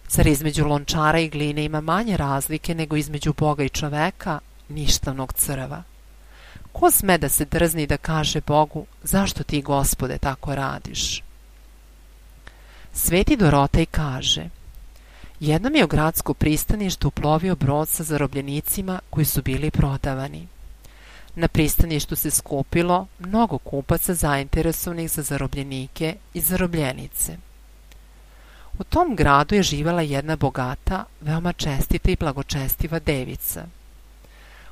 Zar između lončara i gline ima manje razlike nego između Boga i čoveka, ništavnog crva? Ko sme da se drzni da kaže Bogu: zašto ti, Gospode, tako radiš? Sveti Dorotej kaže: jednom je u gradsku pristaništu uplovio brod sa zarobljenicima koji su bili prodavani. Na pristaništu se skupilo mnogo kupaca zainteresovanih za zarobljenike i zarobljenice. U tom gradu je živjela jedna bogata, veoma čestita i blagočestiva devica.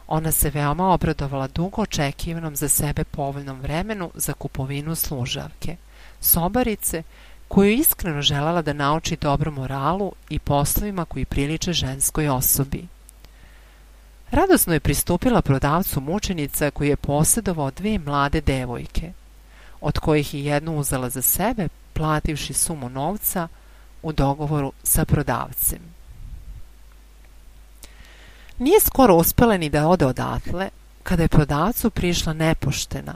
Ona se veoma obradovala dugo očekivanom za sebe povoljnom vremenu za kupovinu služavke, sobarice, koju je iskreno željela da nauči dobru moralu i poslovima koji priliče ženskoj osobi. Radosno je pristupila prodavcu mučenica koji je posjedovao dve mlade devojke, od kojih je jednu uzela za sebe, plativši sumu novca u dogovoru sa prodavcem. Nije skoro uspela ni da ode odatle, Kada je prodavcu prišla nepoštena,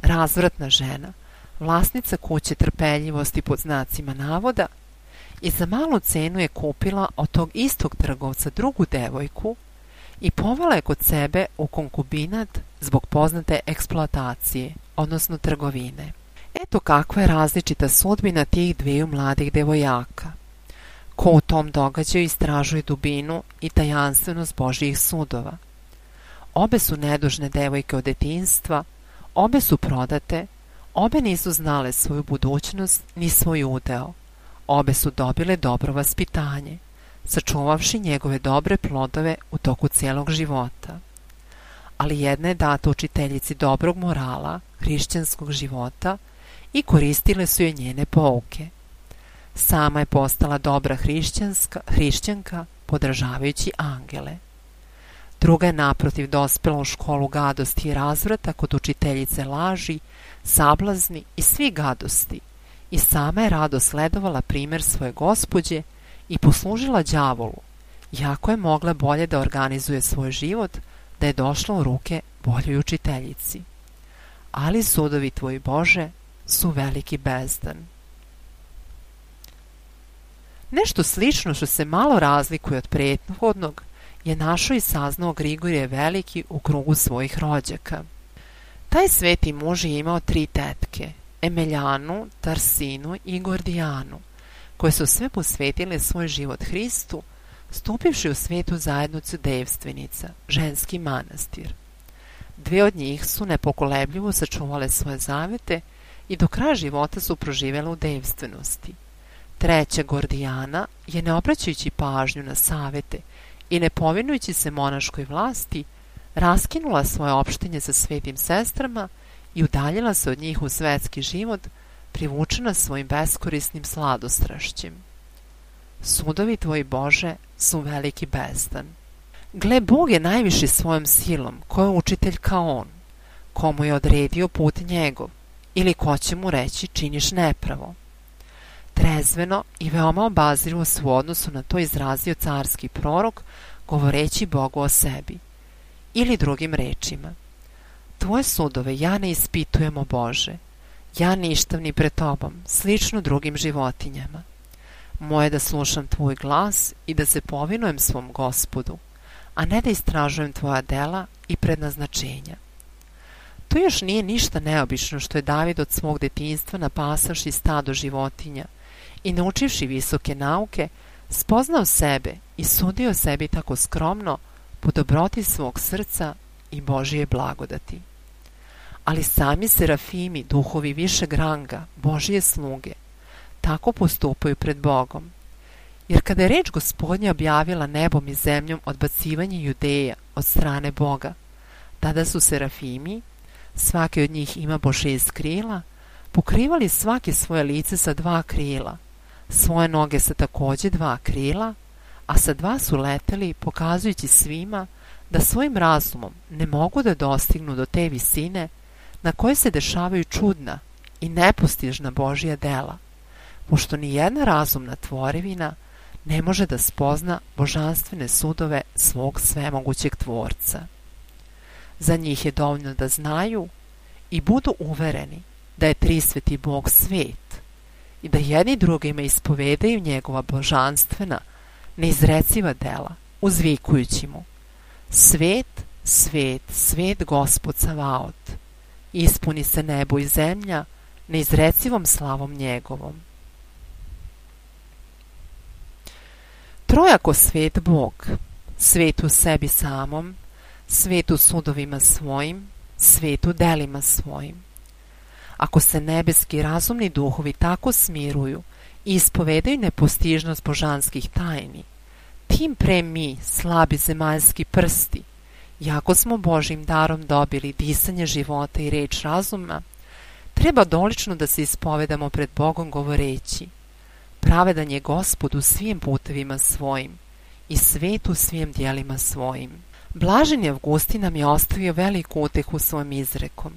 razvratna žena, vlasnica kuće trpeljivosti pod znacima navoda, i za malu cenu je kupila od tog istog trgovca drugu devojku i povela je kod sebe u konkubinat zbog poznate eksploatacije, odnosno trgovine. Eto kakva je različita sudbina tih dviju mladih devojaka. Ko u tom događaju istražuje dubinu i tajanstvenost Božjih sudova. Obe su nedužne devojke od detinjstva, obe su prodate, obe nisu znale svoju budućnost ni svoj udeo. Obe su dobile dobro vaspitanje, sačuvavši njegove dobre plodove u toku cijelog života. Ali jedna je data učiteljici dobrog morala, hrišćanskog života, i koristile su joj njene pouke. Sama je postala dobra hrišćanska, hrišćanka, podržavajući angele. Druga je naprotiv dospela u školu gadosti i razvrata kod učiteljice laži, sablazni i svi gadosti, i sama je rado sledovala primjer svoje gospođe i poslužila đavolu, jako je mogla bolje da organizuje svoj život, da je došla u ruke boljoj učiteljici. Ali sudovi tvoji, Bože, su veliki bezdan. Nešto slično što se malo razlikuje od prethodnog je našao i saznao Grigorije Veliki u krugu svojih rođaka. Taj sveti muž je imao tri tetke, Emeljanu, Tarsinu i Gordijanu, koje su sve posvetile svoj život Hristu, stupivši u svetu zajednicu devstvenica, ženski manastir. Dve od njih su nepokolebljivo sačuvale svoje zavete i do kraja života su proživjele u devstvenosti. Treća, Gordijana, je ne obraćajući pažnju na savete i ne povinujući se monaškoj vlasti, raskinula svoje opštenje sa svetim sestrama i udaljila se od njih u svetski život, privučena svojim beskorisnim sladostrašćem. Sudovi tvoji, Bože, su veliki bezdan. Gle, Bog je najviši svojom silom, ko je učitelj kao on, komu je odredio put njegov, ili ko će mu reći činiš nepravo. Trezveno i veoma obazrivo se u odnosu na to izrazio carski prorok, govoreći Bogu o sebi. Ili drugim rečima: tvoje sudove ja ne ispitujem, o Bože, ja ništav ni pred tobom, slično drugim životinjama. Moje da slušam tvoj glas i da se povinujem svom Gospodu, a ne da istražujem tvoja dela i prednaznačenja. To još nije ništa neobično što je David od svog detinjstva, napasavši stado životinja i naučivši visoke nauke, spoznao sebe i sudio sebi tako skromno po dobroti svog srca i Božije blagodati. Ali sami serafimi, duhovi višeg ranga, Božije sluge, tako postupaju pred Bogom. Jer kada je reč Gospodnja objavila nebom i zemljom odbacivanje Judeja od strane Boga, tada su serafimi, svaki od njih ima po šest krila, pokrivali svaki svoje lice sa dva krila, svoje noge sa takođe dva krila, a sa dva su leteli, pokazujući svima da svojim razumom ne mogu da dostignu do te visine na koje se dešavaju čudna i nepostižna Božja dela, pošto ni jedna razumna tvorevina ne može da spozna božanstvene sudove svog svemogućeg Tvorca. Za njih je dovoljno da znaju i budu uvereni da je trisveti Bog svet i da jedni drugima ispovedaju njegova božanstvena, neizreciva dela, uzvikujući mu: svet, svet, svet Gospod Savaot, ispuni se nebo i zemlja neizrecivom slavom njegovom. Trojako svet Bog, svet u sebi samom, svet u sudovima svojim, svet u delima svojim. Ako se nebeski razumni duhovi tako smiruju i ispovedaju nepostižnost božanskih tajni, tim pre mi, slabi zemaljski prsti, jako smo Božjim darom dobili disanje života i reč razuma, treba dolično da se ispovedamo pred Bogom govoreći: pravedan je Gospod u svim putevima svojim i svet u svim dijelima svojim. Blaženi Avgustin nam je ostavio veliku utehu svojim izrekom: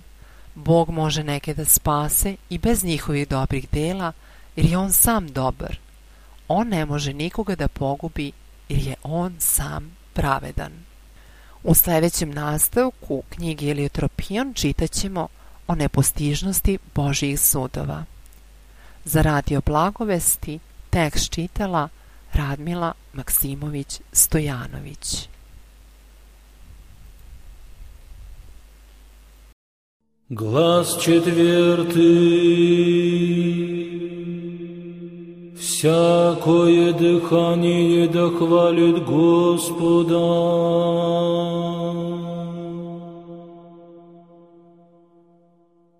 Bog može neke da spase i bez njihovih dobrih dela, jer je on sam dobar. On ne može nikoga da pogubi, jer je on sam pravedan. U sljedećem nastavku knjige Eleuteropion čitat ćemo o nepostižnosti Božjih sudova. Za Radio Blagovesti tekst čitala Radmila Maksimović Stojanović.
Глас четвертый. Всякое дыхание да хвалит Господа.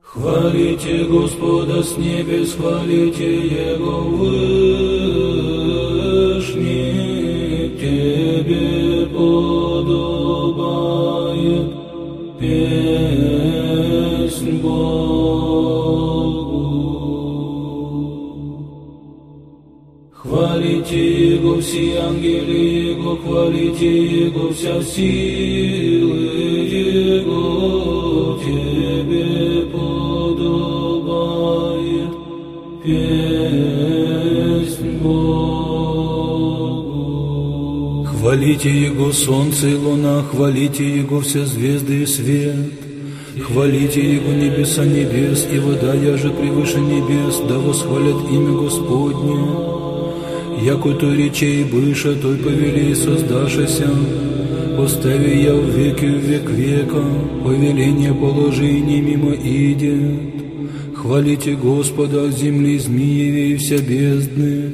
Хвалите Господа с небес, хвалите Его вышний, Тебе подобает песнь Богу. Хвалите Его все ангелы Его, хвалите Его вся силы Его, Тебе подобает песнь Богу. Хвалите Его солнце и луна, хвалите Его все звезды и свет. Хвалите Его небеса небес и вода, яже превыше небес, да восхвалят имя Господне. Яко той речей быша, той повели создашася, постави я в веки в век века, повеление положи не мимо идет. Хвалите Господа от земли змееви и вся бездны,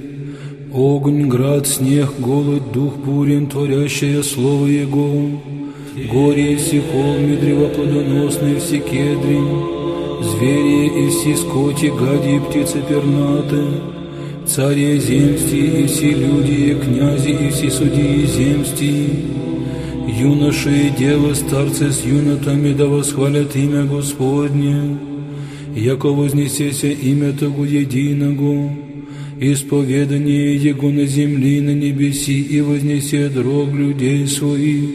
огонь, град, снег, голод, дух бурен, творящее слово Его, горе и все холмы, древа плодоносные, все кедри, звери и все скоти, гади и птицы пернаты, цари земсти и все люди, и князи и все судьи земсти, юноши и девы, старцы с юнотами, да восхвалят имя Господне, яко вознесеся имя Того единого, исповедание Его на земли и на небеси, и вознесет рог людей своих,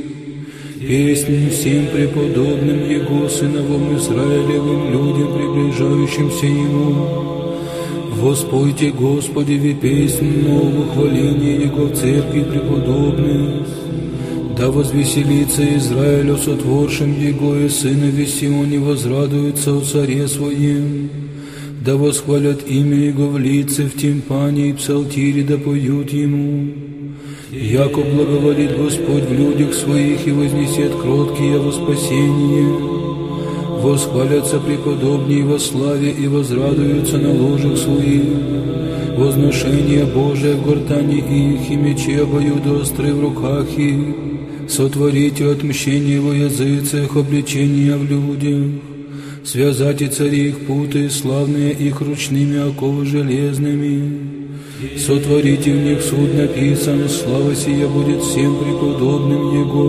песнь всем преподобным Его, сыновам Израилевым, людям, приближающимся Ему. Воспойте Господи ви песнь новую, хваление Его в церкви преподобных. Да возвеселится Израиль о сотворшем Его, и сынове Сионе возрадуются о царе Своем. Да восхвалят имя Его в лице, в тимпане и псалтире, да поют Ему. Яко благоволит Господь в людях Своих и вознесет кроткие во спасение. Восхвалятся преподобнее во славе и возрадуются на ложах Своих. Возношение Божие в гортани их, и мечи обоюдоострые в руках их. Сотворите отмщение во языцах, обличения в людях. Связайте цари их путы, славные их ручными оковы железными. Сотворите в них суд написан, слава сия будет всем преподобным Его.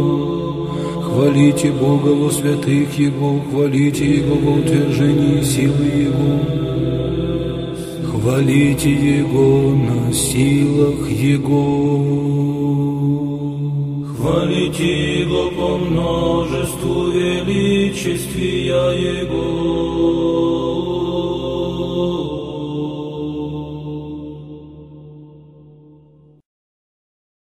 Хвалите Бога во святых Его, хвалите Его во утверждении силы Его. Хвалите Его на силах Его. Хвалите Его по множеству величествия Его.